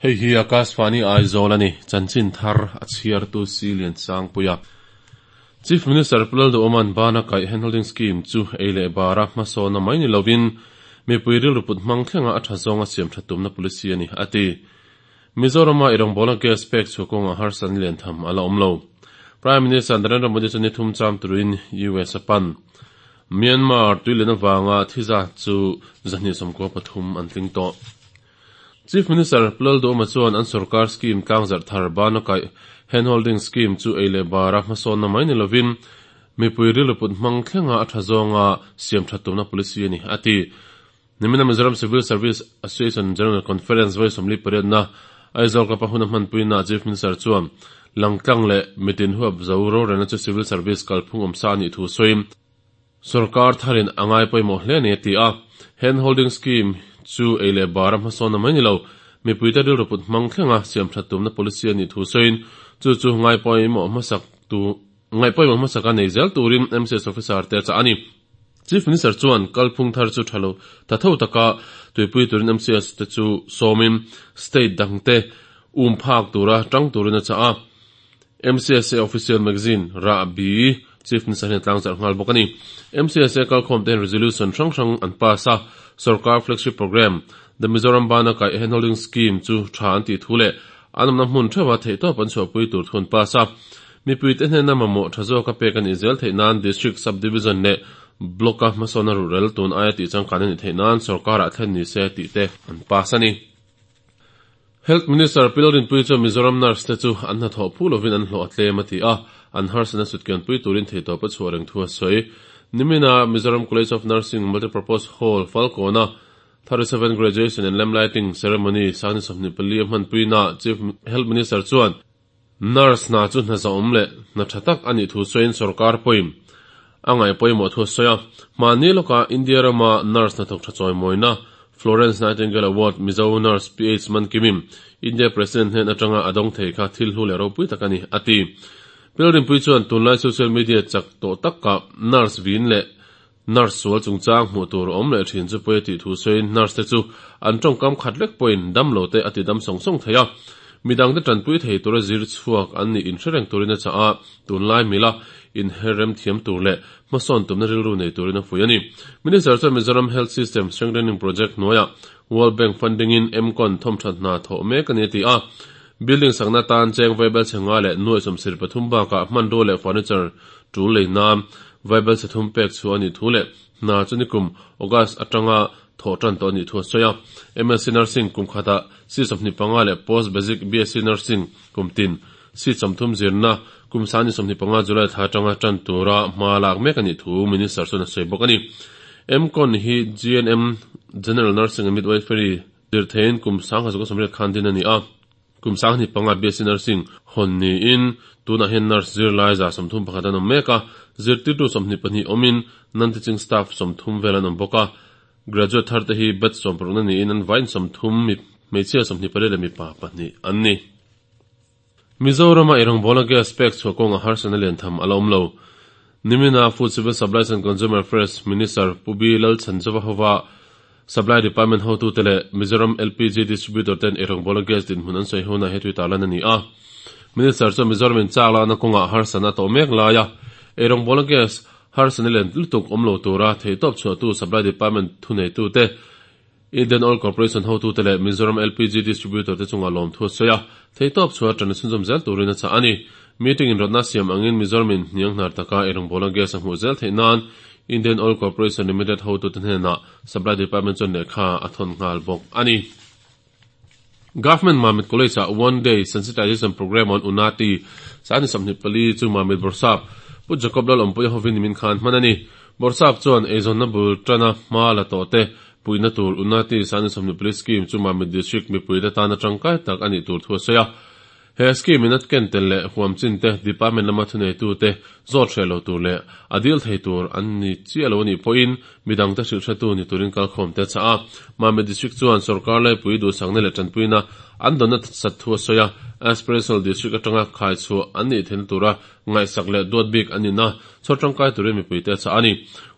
Hei hi Akashvani Aizawl a ni, chanchin thar a chhiartu Silian Sangpuia. Chief Minister Pu Lalduhoma'n bana kaih handholding scheme chu ei leh bara hmasawnna mai ni lovin mipui rilru put hmang thlenga a tha zawnga siam tha tumna policy a ni, a ti. Mizorama i rawngbawlna gas pek chhuah kawngah harsatna lian tham a la awm lo. Prime Minister Narendra Modi chu ni thum cham turin US a pan. Myanmar tuilian avanga thi zat chu 293 an tling tawh. Chief Minister Pu Lalduhoma chuan an sorkar scheme tlangzarh thar bana kaih handholding scheme chu ei leh bara hmasawnna mai ni lovin mipui rilru put hmang thlenga a tha zawnga siam that tumna policy a ni, a ti. Nimina Mizoram Civil Service Association General Conference vawi 48na Aizawl Club-a hun a hmanpuinaah Chief Minister chuan langtlang leh mitin huap zo rorelna chu Civil Service kalphung awmsa a nih thu sawiin, Sorkar tharin a ngai pawimawh hle a ni a ti a. Hand holding scheme chu ei leh bara hmasawnna mai ni lo, mipuite rilru put hmang thlenga siam that tumna policy a nih thu sawiin chu chu ngai pawimawh hmasak tu ngaih pawimawh hmasaka nei zel turin MCS officer te a chah a ni. Chief Minister chuan kalphung thar chu tha lo ta tho taka tuipui turin MCS te chu sawmin state dangte um phak tura tang turin a chah a. MCSA Official Magazine, Rahbi, Chief Minister hian tlangzarh nghal bawk a ni. MCSA kalkhawm te hian resolution hrang hrang an pass a, sorkar flagship programme, The Mizoram Bana Kaih Handholding Scheme chu tha an tih thu leh an awmna hmun theuha theihtawp an chhuahpui tur thu an pass a. Mipuite hnena mamawh tha zawka pek a nih zel theih nan District, Sub-Division leh Block-a hmasawnna ruhrel tun aia tih changkan a nih theih nan sorkarah thlen ni se tih te an pass a ni. Health Minister Pi Lalrinpuii chuan Mizoram nurse te chu an hnathawh phu lovin an hlawh a tlem a ti a, an harsatna sutkianpui turin theihtawp a chhuah reng thu a sawi. Nimina Mizoram College of Nursing Multipurpose Hall, Falkawna 37 Graduation and Lamp Lighting Ceremony sangni 24 a hmanpuinaah Chief Health Minister chuan Nurse hna chu hna zahawm leh hna tha tak a nih thu sawiin sorkar pawhin a ngaih pawimawh thu a sawi a. Hmanni lawkah India rama nurse hnathawk tha chawimawina Florence Nightingale Award Mizo nurse PH Mankimim India President hnen atanga a dawng thei kha thil hlu leh ropui tak a ni, a ti. Pilrinpui chuan tunlai social media chak tawh takah nurse vin leh Nurse sual chungchang hmuh tur awm leh thin chu pawi a tih thu sawiin nurse te chu an tawngkam khat lek pawhin dam lo te a ti dam sawng sawng thei a, midang te tanpui thei tura zir chhuak an nih inhre reng turin a chah a, tunlai mila inher rem thiam tur leh hmasawn tumna rilru nei turin a fuih a ni. Minister chuan Mizoram Health System Strengthening Project hnuaiah World Bank funding in MCON thawmthat hna thawh mek a ni a ti a, building sakna tan cheng vaibel chhe nga leh nuaih 73 bakah hmanrua leh furniture tul lei nan Vaibel chhe thum pek chhuah a nih thu leh hna chu nikum August atanga thawh tan tawh a nih thu a sawi a. MSc Nursing kum khatah seat 25 leh Post Basic BSc Nursing kum tin seat 30 zirna kum sangni 25 July thla atanga tan tura hma lak mek a nih thu Minister chuan a sawi bawk a ni. MCON hi GNM, General Nursing and Midwifery, zir theiin kum 1980 khan din a ni a. Kum 25 BSc Nursing hawn niin tunah hian nurse zirlai 31 an awm mek a, zirtirtu 22 awmin non-teaching staff 30 vel an awm bawk a. Graduate thar te hi batch 16 niin an vaiin 30 mi hmeichhia 28 leh mipa pahnih an ni. Mizorama ei rawngbawlna gas pek chhuah kawnga harsatna lian tham a la awm lo. Nimina Food Civil Supplies and Consumer Affairs Minister Pu B Lalchhanzova hova Supply Department hotute leh Mizoram LPG Distributor ten ei rawngbawlna gas dinhmun an sawi hunah he tui tarlan a ni a. Minister chuan Mizoram in chak lakna kawngah harsatna a tawh mek laia ei rawngbawlna gas harsatna lian lutuk awm lo tura theihtawp chhuahtu Supply Department thuneitute Indian Oil Corporation hotute leh Mizoram LPG Distributor te chungah lawmthu a sawi a, theihtawp chhuah atana chhunzawm zel turin a chah a ni. Meeting inrawtna siam angin Mizoram in hniang hnar taka ei rawngbawlna gas a hmuh zel theih nan Indian Oil Corporation Limited hotute hnenah Supply Department chuan lehkha a thawn nghal bawk a ni. Government Mamit College ah One Day Sensitization Programme on Unati Sani 24 chu Mamit Bawrhsap Pu Jacob Lalawmpuia hovin nimin khan hman a ni. Bawrhsap chuan eizawnna bul tana hma la tawh te Puihna tur Unnati Sani 24 Scheme chu Mamit District mipuite tana tangkai tak a nih tur thu a sawi a. He scheme in a ken tel leh huam chin te department lama thuneitu te zawt hreh lo tur leh a dil thei tur an ni chiah lo a nih pawhin midang te hrilh hretu ni turin kalkhawm te a chah a. Mamit District chuan sorkar laipui duhsakna leh tanpuina an dawnna sat thu a sawi a, Aspirational District atanga khai chhuah an nih theihna tura ngaihsak leh duat bik an nihna chhawr tangkai turin mipuite a chah a ni.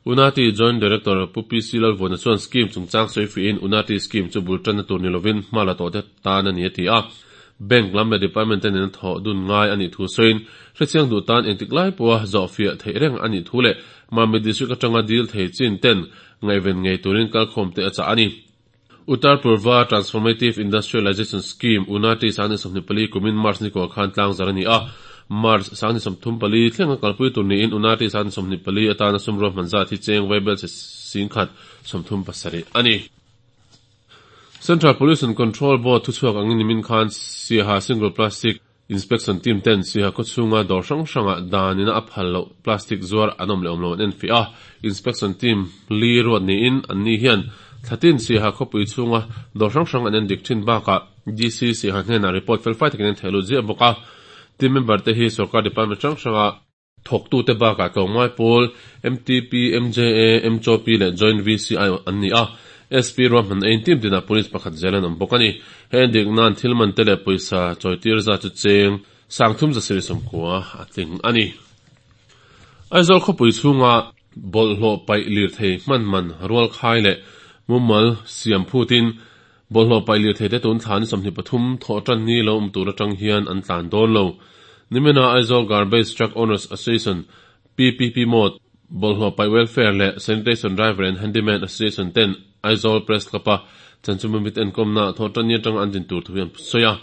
Unati Joint Director Pu PC Lalvuana chuan scheme chungchang sawi fihin Unati scheme chu bul tanna tur ni lovin hma la tawhte tan a ni a ti a. Bank lam leh department te nena thawh dun ngai a nih thu sawiin hrechiang duh tan engtik lai pawha zawhfiah theih reng a nih thu leh Mamit District atanga dil thei chin ten ngaihven ngei turin kalkhawm te a chah a ni. Uttar Purva Transformative Industrialization Scheme, UNATI, 2024 kumin March nikuah khan tlangzar a ni a. March 2034 thlenga kalpui tur niin UNATI 2024 atana sum ruahman zat hi cheng vaibelchhe singkhat 37 a ni. Central Pollution Control Board thuchhuak angin nimin khan Siaha Single Plastic Inspection Team ten Siaha khawchhunga dawr hrang hrangah danina a phal loh plastic zuar an awm leh awm lo an enfiah a. Inspection Team li ruat niin anni hian thlatin Siaha khawpui chhunga dawr hrang hrang an endik thin bakah DC Siaha hnenah report felfai takin an thehlut ziah bawk a. Team member te hi sorkar department hrang hranga Thawktute bakah tlawmngai pawl MTP, MJA, MCOP leh Joint VCI an ni a, SP ruahman eiin team tinah police pakhat zel an awm bawk a ni. He endik nan thil man te leh pawisa chawitir zat chu cheng sangthum zasarih sawmkua a tling a ni. Aizawl khawpui chhunga bawlhhlawh paih lirthei hman man rual khai leh mumal siam phutin Bawlhhlawh paih lirthei te tun thla ni 23 thawh tan ni lo awm tur atang hian an tlan dawn lo. Nimina Aizawl Garbage Truck Owners Association, PPP Mode, Bawlhhlawh Paih Welfare leh Sanitation Driver and Handyman Association ten Aizawl Press Club-a chanchinbumit enkawmna thawh tan ni atanga an din tur thu hi an sawi a.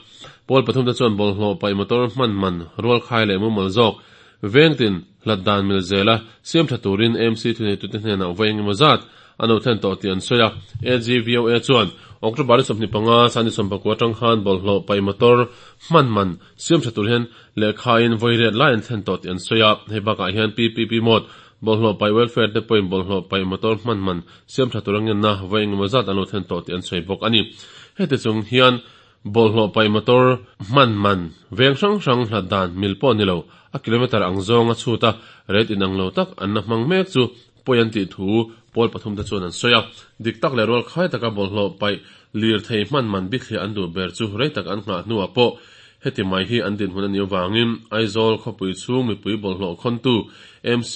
Pawl pathum te chuan bawlhhlawh paih motor hman man rualkhai leh mumal zawk vengtin hlat dan mil zela siam tha turin AMC thuneitute hnenah vawi engemaw zat a no thlen tawh tih an sawi a. AGVOA chuan October ni 25 Sunday sawmpakua atang khan bawlhhlawh paih motor hman man siam tha tur hian lehkhain vawi riat lai an thlen tawh tih an sawi a. Hei bakah hian PPP mode bawlhhlawh paih welfare te pawhin bawlhhlawh paih motor hman man siam tha tur a ngenna vawi engemaw zat an lo thlen tawh tih an sawi bawk a ni. Heti chung hian Bawlhhlawh paih motor hman man veng hrang hrang hlat dan mil pawh ni lo, a kilometre ang zawnga chhut a rate inang lo tak an la hmang mek chu pawi an tih thu pawl pathum te chuan an sawi a. Dik tak leh rual khai taka bawlhhlawh paih lirthei hman man bithliah an duh ber chu rei tak an nghah hnuah pawh heti mai hi an dinhmun a nih avangin Aizawl khawpui chhung mipui bawlhhlawh khawntu MC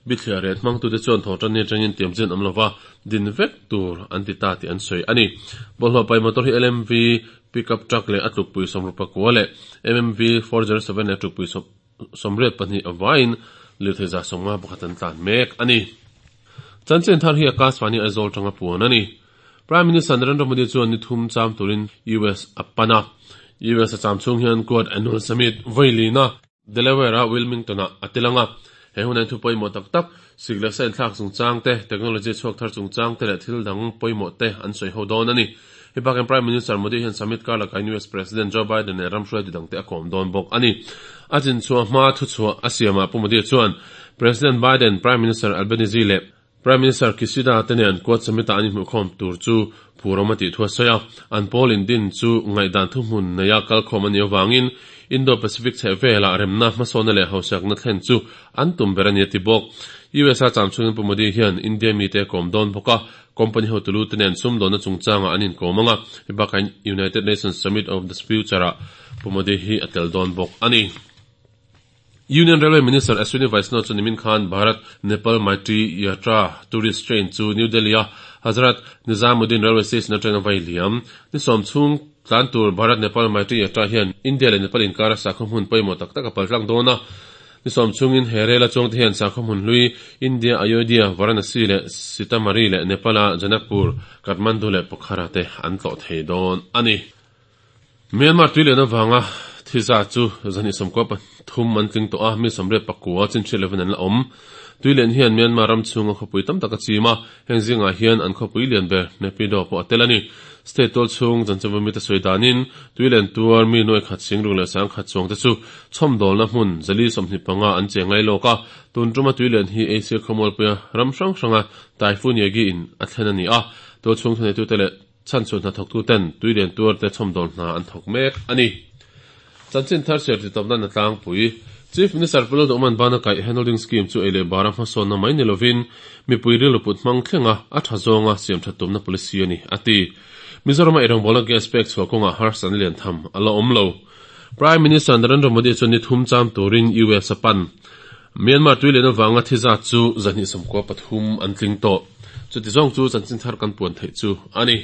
bithliah ret hmangtute chuan thawhtanni atangin tiamchin an awm lova, din vek tur an ti ta tih an sawi a ni. Bawlhhlawh paih motor hi LMV pickup truck leh a tlukpui 64 leh MMV 407 leh a tlukpui 82 a vaiin lirthei 51 an tlan mek a ni. Chanchin thar hi Akashvani Aizawl tanga puan a ni. Prime Minister Narendra Modi chuan ni thum cham turin US a pan a. US a cham chhung hian Quad Annual Summit vawi lina Delaware-a Wilmington-ah a tel ang a, he huna in thu pawimawh tak tak, sik leh sa inthlak chungchang te, technology chhuak thar chungchang te leh thil dang pawimawh te an sawi ho dawn a ni. Hei bakin Prime Minister Modi hian summit kar lakah US President Joe Biden leh ram hruaitu dangte a kawm dawn bawk a ni. A chinchhuah hma thuchhuah a siamah Pu Modi chuan President Biden, Prime Minister Albanese leh Prime Minister Kishida te nen Quad Summit-ah an inhmuhkhawm tur chu phurawm a tih thu a sawi a, an pawl indin chu ngaihdan thuhmun neia kalkhawm a nih avangin Indo-Pacific chheh velah remna hmasawnna leh hausiakna thlen chu an tum ber a ni a ti bawk. US-a cham chhungin Pu Modi hian India mite a kawm dawn bawk a, company hotu te nen sumdawnna chungchangah an inkawm ang a, hei bakah United Nations Summit of the Future-ah Pu Modi hi a tel dawn bawk a ni. Union Railway Minister Ashwini Vaishnaw chu nimin khan Bharat Nepal Maitri Yatra Tourist Train chu New Delhi-a Hazrat Nizamuddin Railway Station atanga vai liam. Ni sawm chhung tlan tur Bharat Nepal Maitri Yatra hian India leh Nepal inkara sakhaw hmun pawimawh tak tak a paltlang dawn a. Ni sawm chhungin he rel a chuangte hian sakhaw hmun hlui India Ayodhya, Varanasi leh Sitamari leh Nepal-a Janakpur, Kathmandu leh Pokhara te an tlawh thei dawn a ni. Myanmar tuilian avanga thi zat chu 223 an tling tawh a, mi 84 chin hriat lovin an la awm. Tuilian hian Myanmar ram chhunga khawpui tam tak a chim a, heng zingah hian an khawpui lian ber Naypyidaw pawh a tel a ni. State tual chhung chanchinbu mite sawi danin tuilian tuar mi nuai khat singruk leh sangkhat chuang te chu chhawmdawlna hmun 425 an cheng lai lawk a, tun tuma tuilian hi Asia khawmualpuia ram hrang hranga Typhoon Yagi in a thlen a ni a, tual chhung thuneitute leh Chhan chu hnathawktu ten tui lian tuar te chhawmdawl hna an thawk mek a ni. Chanchin thar chhiar titawp nan a tlangpui. Chief Minister Pu Lalduhman bana kaih Handholding Scheme chu ei leh bara hmasawnna mai ni lovin mipui rilru put hmang thlenga a tha zawnga siam that tumna policy a ni, a ti. Mizorama eirawngbawlna gas pek chhuah kawngah harsatna lian tham a la awm lo. Prime Minister Narendra Modi chuan ni thum cham turin US a pan. Myanmar tui lian avanga thi zat chu 293 an tling tawh. Chuti zawng chu chanchin thar kan puan theih chu a ni.